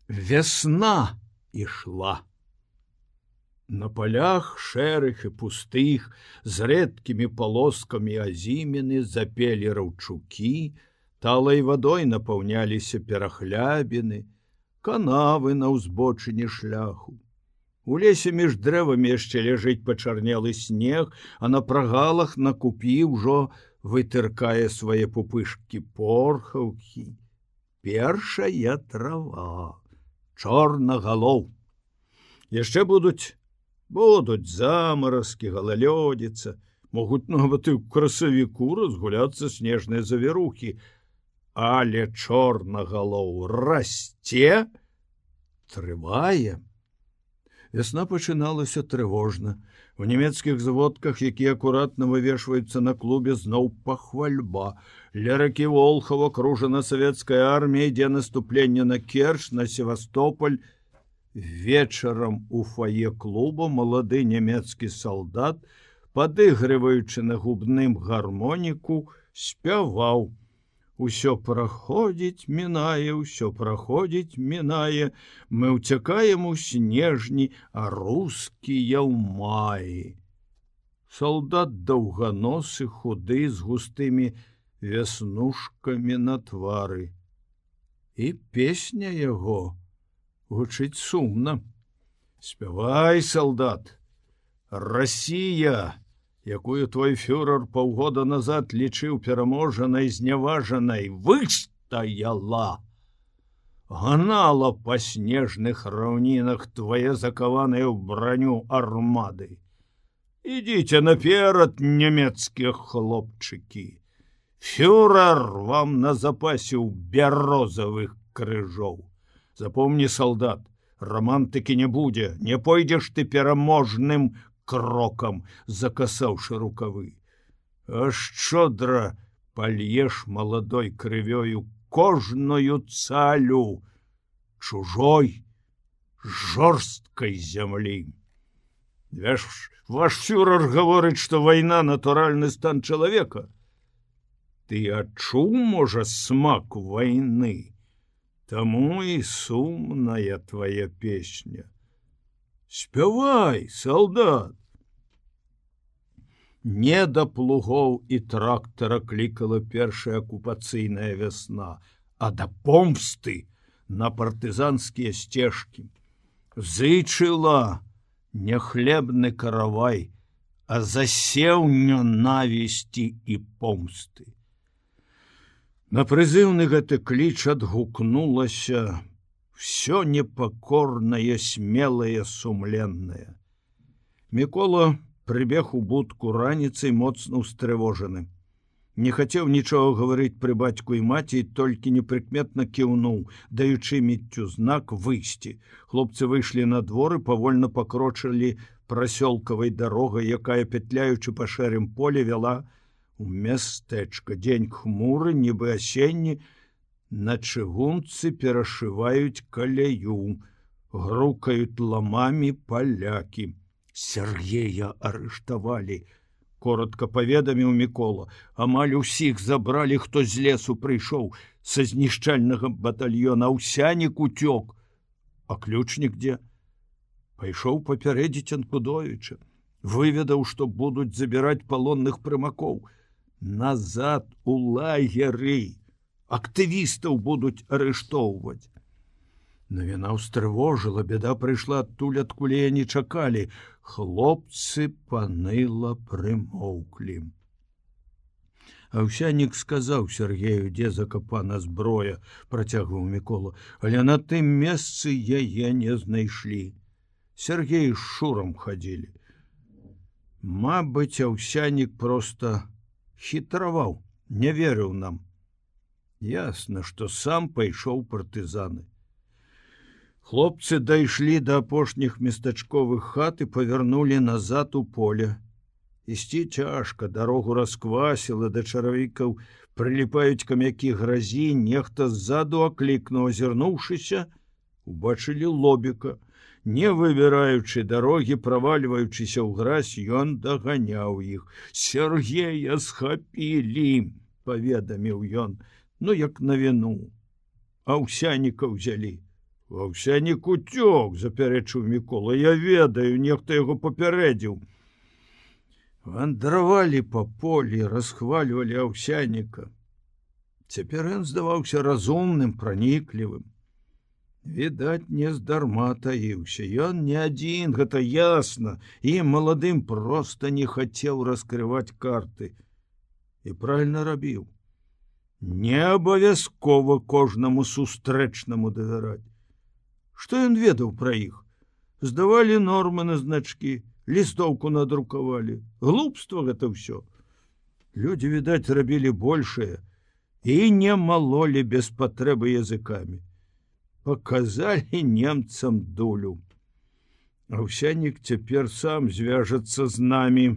Вясна ішла. На полях шэрых і пустых з рэдкімі полоскамі азімены запелі раўчукі, талай вадой напаўняліся перахлябіны, канавы на ўзбочыне шляху. У лесе між дрэвамі яшчэ ляжыць пачарнелы снег, а на прагалах на купі ўжо вытыркае свае пупышкі порхаўкі. Першая трава, чорнагалоў. Яшчэ будуць замаразкі, галалёдзіца, могуць нават і ў красавіку разгуляцца снежныя завірухі, але чорнагалоў расце, трывае. Вясна пачыналася трывожна. У нямецкіх зводках, якія акуратна вывешваюцца на клубе, зноў пахвальба. Ля ракі Волхаў акружана савецкая армія, ідзе наступленне на Керчь, на Севастополь. Вечарам у фае клуба малады нямецкі салдат, падыгрываючы на губным гармоніку, спяваў: «Усё праходзіць, мінае, усё праходзіць, мінае, мы ўцякаем у снежні, а рускія ў маі». Салдат даўганосы, худы, з густымі вяснушкамі на твары. І песня яго гучыць сумна. Спявай, салдат, Расія, якую твой фюрер паўгода назад лічыў пераможанай, зняважанай, выстаяла. Гнала па снежных раўнінах твае закаваныя ў броню армады. Ідзіце наперад, нямецкія хлопчыкі. Фюрер вам на запасіў бярозавых крыжоў. Запомни, солдат, романтыкі не будзе, не пойдзеш ты пераможным крокам, закасаўшы рукавы. А шчодра пальеш маладой крывёю кожную цалю чужой жорсткай зямлі. Ваш фюрер гаворыць, што вайна натуральны стан чалавека. Ты адчуў, можа, смак вайны? Таму і сумная твоя песня. Спявай, солдат. Не да плугоў і трактара клікала першая акупацыйная вясна, а да помсты на партызанскія сцежкі. Зычыла не хлебны каравай, а засеў нянавісці і помсты. На прызыўны гэты кліч адгукнулася всё непакорнае, смелае, сумленнае. Мікола прыбег у будку раніцай моцна ўстрывожаны. Не хацеў нічога гаварыць пры бацьку і маці, толькі непрыкметна кіўнуў, даючы міццю знак выйсці. Хлопцы выйшлі на двор і павольна пакрочылі прасёлкавай дарогай, якая, петляючы па шэрым поле, вяла у мястэчка. Дзень хмуры, нібы асенні, на чыгунцы перашываюць каляю, грукаюць ламамі палякі. Сергея арыштавалі, коротко паведаміў Мікола. Амаль усіх забралі, хто з лесу прыйшоў са знішчальнага батальёна. Аўсянік уцёк. А ключнік дзе? Пайшоў папярэдзіць Анкудовіча. Выведаў, што будуць забіраць палонных прымакоў. Назад у лагеры. Актывістаў будуць арыштоўваць. Навіна ўстрывожыла, бяда прыйшла адтуль, адкуль яе не чакалі. Хлопцы паныла прымоўклі. Аўсянік сказаў Сергею, дзе закапана зброя, працягваў Мікола, але на тым месцы яе не знайшлі. Сергей з Шурам хадзілі. Мабыць, Аўсянік проста хітраваў, не верыў нам. Ясна, што сам пайшоў партызаны. Хлопцы дайшлі да апошніх местачковых хат і павярнулі назад у поле. Ісці цяжка, дарогу расквасіла, да чаравікаў прыліпаюць камякі гразі, нехта ззаду аклікнуў, азірнуўшыся, убачылі Лобіка. Не выбіраючы дарогі, правальваючыся ў гразь, ён даганяў іх. Сергея схапілі, паведаміў ён, ну як навіну. Аўсяніка ўзялі. Аўсянік уцёк, запярэчыў Мікола. Я ведаю, нехта яго папярэдзіў. Вандравалі па полі, расхвальвалі Аўсяніка. Цяпер ён здаваўся разумным, праніклівым. Відаць, не здарма таіўся. Ён не адзін, гэта ясна, і маладым проста не хацеў раскрываць карты. І правільна рабіў. Не абавязкова кожнаму сустрэчнаму давяраць. Што ён ведаў пра іх? Здавалі нормы на значкі, лістоўку надрукавалі. Глупства гэта ўсё. Людзі, відаць, рабілі большае і не малолі без патрэбы языкамі. Паказалі немцам дулю. Аўсянік цяпер сам звяжацца з намі,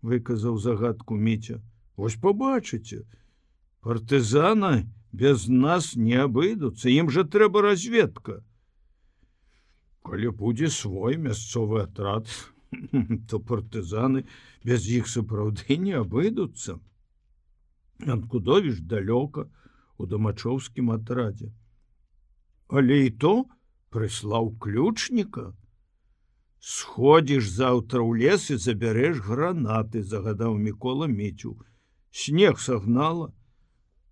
выказаў загадку Міця. Вось пабачыце, партызаны без нас не абыдуцца, ім жа трэба разведка. Калі будзе свой мясцовы атрад, то партызаны без іх сапраўды не абыдуцца. Анкудовіч далёка у дамачоўскім атрадзе. Але і то прыслаў ключніка. Сходзіш заўтра ў лес і забярэш гранаты, загадаў Мікола Міцю. Снег сагнала.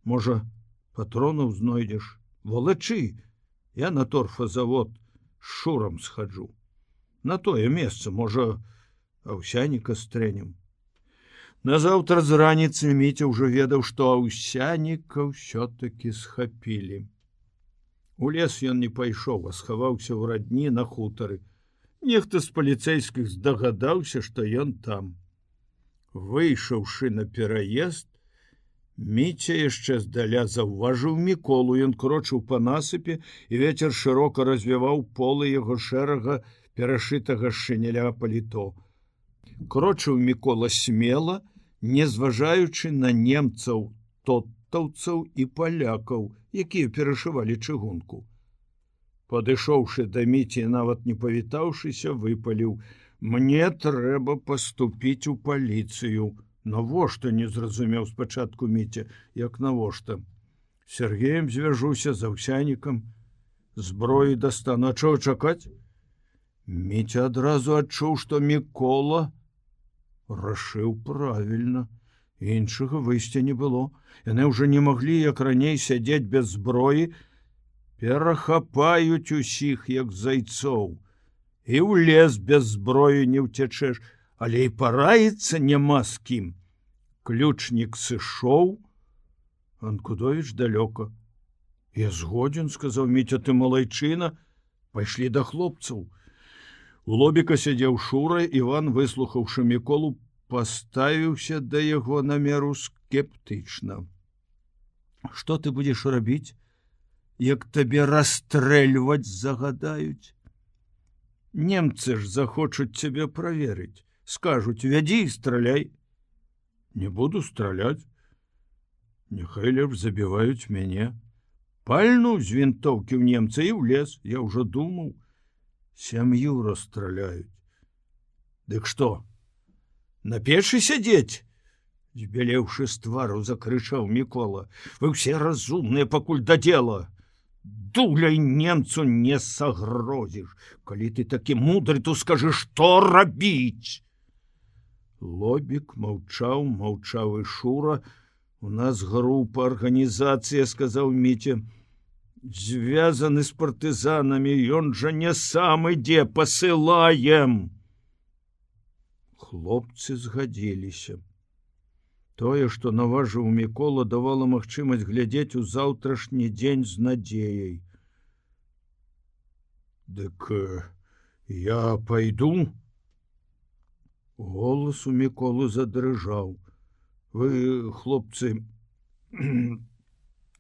Можа, патронаў знойдзеш. Валачы, я на торфазавод з Шурам схаджу. На тое месца, можа, Аўсяніка стрэнем. Назаўтра з раніцы Міця ўжо ведаў, што Аўсяніка ўсё-такі схапілі. У лес ён не пайшоў, а схаваўся ў радні на хутары. Нехта з паліцэйскіх здагадаўся, што ён там. Выйшаўшы на пераезд, Міця яшчэ здаля заўважыў Міколу. Ён крочыў па насыпе, і вецер шырока развіваў полы яго шэрага перашытага шыняля паліто. Крочыў Мікола смела, не зважаючы на немцаў, тотаўцаў і палякаў, якія перашывалі чыгунку. Падышоўшы да Міці, нават не павітаўшыся, выпаліў: «Мне трэба паступіць у паліцыю». Навошта, не зразумеў спачатку Міця, як навошта. Сергеем звяжуся з Аўсянікам, зброі дастану. А чаго чакаць? Міця адразу адчуў, што Мікола рашыў правільна. Іншага выйсця не было. Яны ўжо не маглі, як раней, сядзець без зброі. Перахапаюць усіх, як зайцоў. І ў лес без зброі не ўцячэш. Але і параіцца няма з кім. Ключнік сышоў. Анкудовіч далёка. Я згодзін, сказаў Міця, ты малайчына. Пайшлі да хлопцаў. У лобіка сядзеў Шура. Іван, выслухаўшы Міколу, паставіўся да яго намеру скептычна. Што ты будзеш рабіць, як табе расстрэльваць загадаюць? Немцы ж захочуць цябе праверыць. Скажуць: вядзі і страляй. Не буду страляць. Няхай лепш забіваюць мяне. Пальну з вінтоўкі ў немца і ў лес. Я ўжо думаў, сям'ю расстраляюць. Дык што, на печы сядзець? Збялеўшы з твару, закрычаў Мікола. Вы ўсе разумныя, пакуль да дзела. Дуляй немцу не сагрозіш. Калі ты такі мудры, то скажы, што рабіць? Лобік маўчаў, маўчаў і Шура. У нас група, арганізацыя, сказаў Міця. Звязаны з партызанамі, ён жа не сам ідзе, пасылаем. Хлопцы згадзіліся. Тое, што наважыў Мікола, давала магчымасць глядзець у заўтрашні дзень з надзеяй. Дык я пайду? Голас у Міколы задрыжаў. Вы, хлопцы,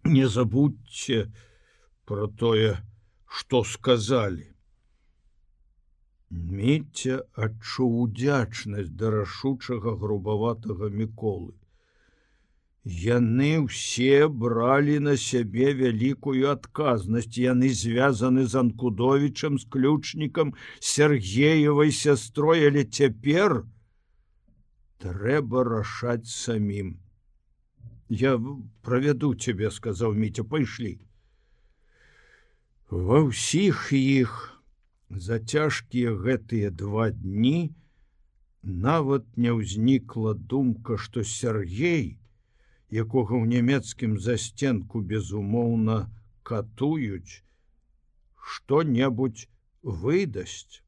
не забудьце про тое, што сказалі. Міця адчуў удзячнасць да рашучага грубаватага Міколы. Яны ўсе бралі на сябе вялікую адказнасць. Яны звязаны з Анкудовічам, з ключнікам, Сергеевай сястрой, але цяпер трэба рашаць самім. Я правяду цябе, сказаў Міця, пайшлі. Ва ўсіх іх за цяжкія гэтыя 2 дні нават не ўзнікла думка, што Сергей, якога ў нямецкім засценку безумоўна катуюць, што-небудзь выдасць.